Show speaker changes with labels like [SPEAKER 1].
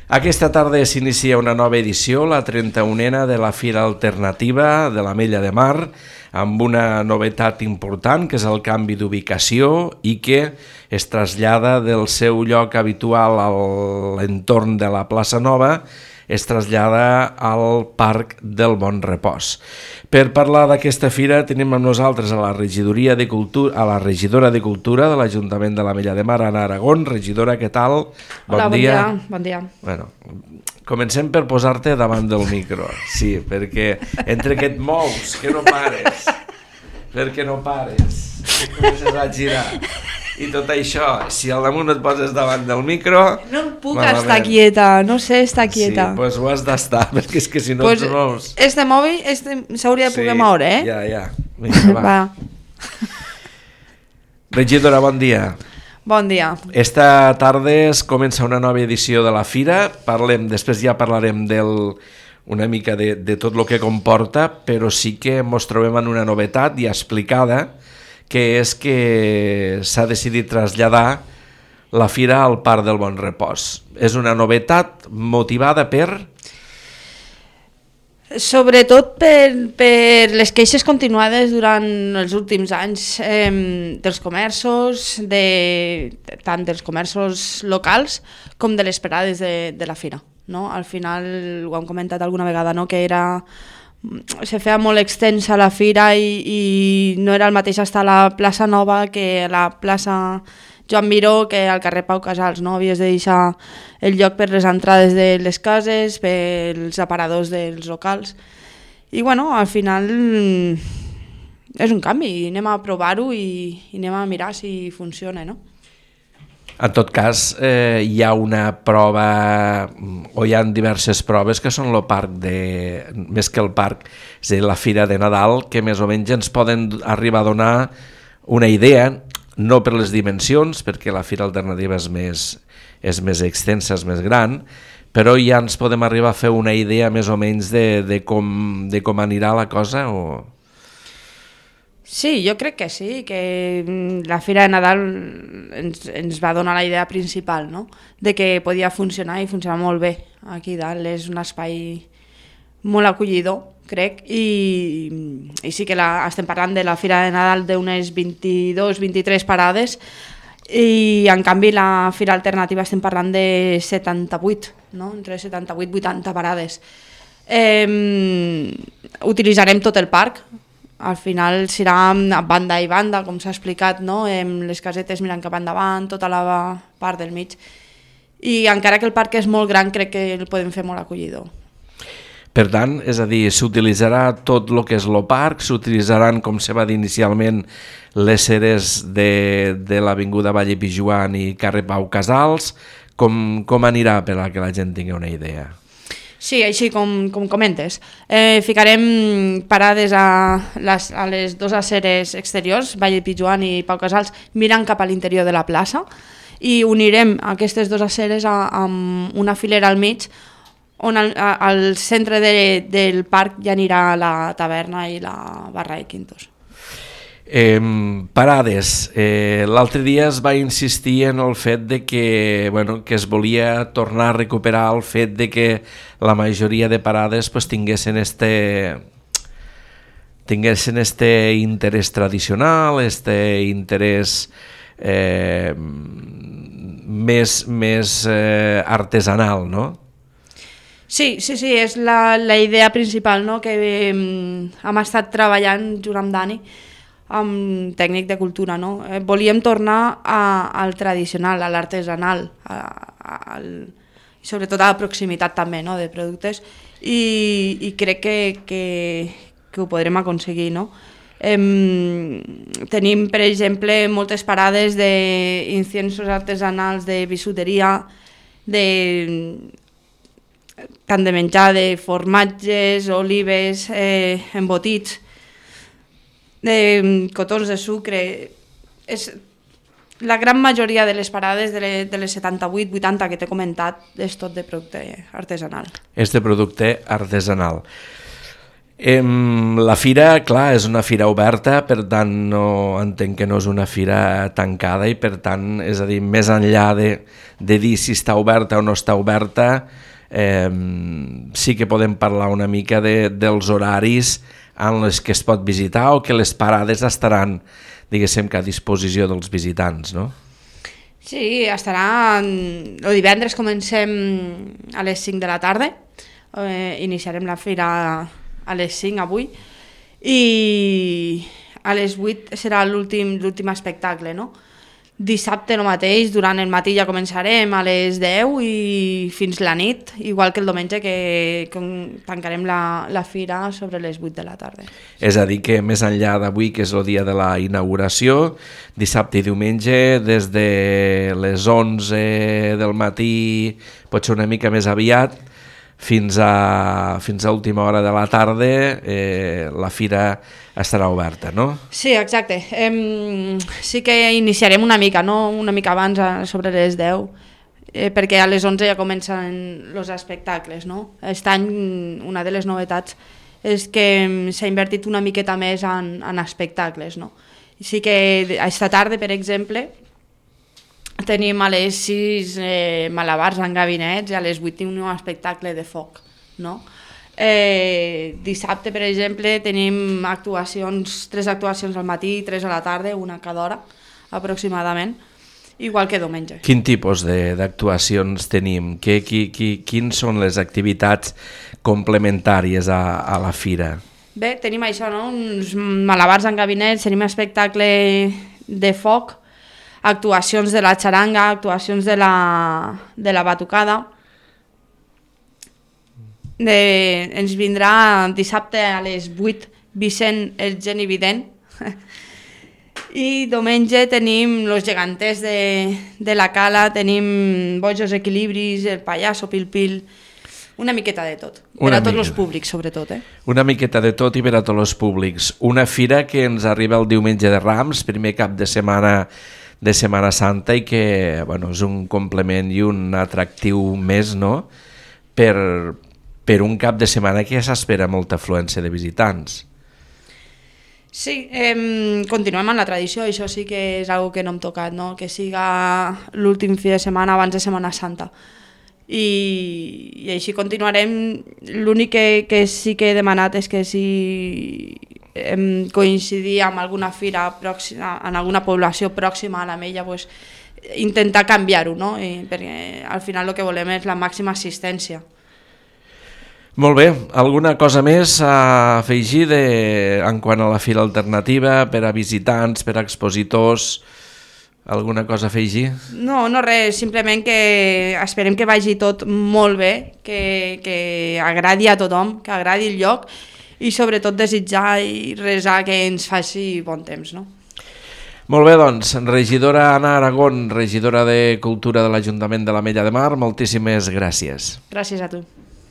[SPEAKER 1] Aquesta tarda s'inicia una nova edició, la 31a de la Fira Alternativa de l'Ametlla de Mar, amb una novetat important, que és el canvi d'ubicació i que es trasllada del seu lloc habitual a l'entorn de la plaça Nova, es trasllada al Parc del Bon Repòs. Per parlar d'aquesta fira tenim amb nosaltres a la regidora de Cultura de l'Ajuntament de l'Ametlla de Mar, Anna Aragón. Regidora, què tal?
[SPEAKER 2] Hola, bon dia. Bon dia.
[SPEAKER 1] Bueno, comencem per posar-te davant del micro, sí, perquè entre que et mous, que no pares, perquè no pares, que comences a girar i tot això, si al damunt et poses davant del micro...
[SPEAKER 2] No puc estar quieta, no sé estar quieta.
[SPEAKER 1] Sí, doncs ho has d'estar, perquè és que si no et mous...
[SPEAKER 2] Este mòbil s'hauria de poder moure, eh?
[SPEAKER 1] Ja. Vinga, va. Regidora, bon dia.
[SPEAKER 2] Bon dia.
[SPEAKER 1] Esta tarda es comença una nova edició de la Fira. Després ja parlarem una mica de tot el que comporta, però sí que ens trobem en una novetat ja explicada, que és que s'ha decidit traslladar la Fira al Parc del Bon Repòs. És una novetat motivada per...
[SPEAKER 2] Sobretot per les queixes continuades durant els últims anys dels comerços, tant dels comerços locals com de les parades de la Fira. No? Al final, ho hem comentat alguna vegada, no? Que se feia molt extensa la fira i no era el mateix estar a la plaça Nova que a la plaça Joan Miró, que al carrer Pau Casals, no? Havies de deixar el lloc per les entrades de les cases, pels aparadors dels locals. I bueno, al final és un canvi, anem a provar-ho i anem a mirar si funciona, no?
[SPEAKER 1] En tot cas, hi ha una prova, o hi ha diverses proves que són el parc més que el parc, és a dir, la Fira de Nadal, que més o menys ens poden arribar a donar una idea, no per les dimensions, perquè la Fira Alternativa és més extensa, és més gran, però ja ens podem arribar a fer una idea més o menys de com anirà la cosa, o...
[SPEAKER 2] Sí, jo crec que sí, que la Fira de Nadal ens va donar la idea principal, no? De que podia funcionar i funcionar molt bé aquí dalt. És un espai molt acollidor, crec, i sí que estem parlant de la Fira de Nadal d'unes 22-23 parades i en canvi la Fira Alternativa estem parlant de 78, no? Entre 78 i 80 parades. Utilitzarem tot el parc. Al final serà banda i banda, com s'ha explicat, no? Les casetes mirant cap endavant, tota la part del mig. I encara que el parc és molt gran, crec que el podem fer molt acollidor.
[SPEAKER 1] Per tant, és a dir, s'utilitzarà tot el que és el parc, s'utilitzaran, com se va dir inicialment, les ceres de l'Avinguda Valle Pijuan i carrer Pau Casals. Com anirà per a que la gent tingui una idea?
[SPEAKER 2] Sí, així com comentes. Ficarem parades a les dues aceres exteriors, Valle Pijuan i Pau Casals, mirant cap a l'interior de la plaça, i unirem aquestes dues aceres amb una filera al mig, on al centre del parc ja anirà la taverna i la barra de quintos.
[SPEAKER 1] Parades. L'altre dia es va insistir en el fet de que es volia tornar a recuperar el fet de que la majoria de parades tinguessin este interès tradicional, este interès més artesanal, no?
[SPEAKER 2] Sí, és la idea principal, no? Que hem estat treballant junt amb Dani, amb tècnic de cultura, no? Volíem tornar al tradicional, a l'artesanal, sobretot a la proximitat també, no? De productes, i crec que ho podrem aconseguir, no? Tenim, per exemple, moltes parades d'inciensos artesanals, de bisuteria, tant de menjar, de formatges, olives, embotits, de cotons de sucre. La gran majoria de les parades de les 78-80 que t'he comentat és tot de producte artesanal.
[SPEAKER 1] És de producte artesanal. La fira, clar, és una fira oberta, per tant no entenc que no és una fira tancada i per tant, és a dir, més enllà de dir si està oberta o no està oberta, sí que podem parlar una mica dels horaris en les que es pot visitar o que les parades estaran, diguéssim, que a disposició dels visitants, no?
[SPEAKER 2] Sí, estarà... El divendres comencem a les 5 de la tarda, iniciarem la fira a les 5 avui i a les 8 serà l'últim espectacle, no? Dissabte el mateix, durant el matí ja començarem a les 10 i fins la nit, igual que el diumenge que tancarem la fira sobre les 8 de la tarda.
[SPEAKER 1] És a dir que més enllà d'avui, que és el dia de la inauguració, dissabte i diumenge, des de les 11 del matí, pot ser una mica més aviat, fins a última hora de la tarda la fira estarà oberta, no?
[SPEAKER 2] Sí, exacte. Sí que iniciarem una mica, no? Una mica abans, sobre les 10, perquè a les 11 ja comencen els espectacles, no? Aquest any una de les novetats és que s'ha invertit una miqueta més en espectacles, no? Sí que aquesta tarda, per exemple, tenim a les 6 malabars en gabinets i a les 8 tenim un espectacle de foc, no? Dissabte, per exemple, tenim tres actuacions al matí, 3 a la tarda, una cada hora aproximadament, igual que diumenge.
[SPEAKER 1] Quin tipus d'actuacions tenim? Quins són les activitats complementàries a la fira?
[SPEAKER 2] Bé, tenim això, no? Uns malabars en gabinets, tenim espectacle de foc, actuacions de la xaranga, actuacions de la batucada. Ens vindrà dissabte a les 8 Vicent el Geni Vident i diumenge tenim los geganters de la Cala, tenim Bojos Equilibris, el Pallasso Pil Pil, una miqueta de tot, per a tots els públics sobretot.
[SPEAKER 1] Una miqueta de tot i per a tots els públics. Una fira que ens arriba el diumenge de Rams, primer cap de Setmana Santa, i que és un complement i un atractiu més, no? Per un cap de setmana que ja s'espera molta afluència de visitants.
[SPEAKER 2] Sí, continuem amb la tradició, això sí que és una que no hem tocat, no? Que siga l'últim fi de setmana abans de Setmana Santa. I així continuarem. L'únic que sí que he demanat és que si coincidir amb alguna fira pròxima, en alguna població pròxima a l'Ametlla, pues, intentar canviar-ho, no? Perquè al final el que volem és la màxima assistència.
[SPEAKER 1] Molt bé, alguna cosa més a afegir en quant a la fira alternativa, per a visitants, per a expositors, alguna cosa a afegir?
[SPEAKER 2] No res, simplement que esperem que vagi tot molt bé, que agradi a tothom, que agradi el lloc i sobretot desitjar i resar que ens faci bon temps, no?
[SPEAKER 1] Molt bé, doncs, regidora Anna Aragón, regidora de Cultura de l'Ajuntament de l'Ametlla de Mar, moltíssimes gràcies.
[SPEAKER 2] Gràcies a tu.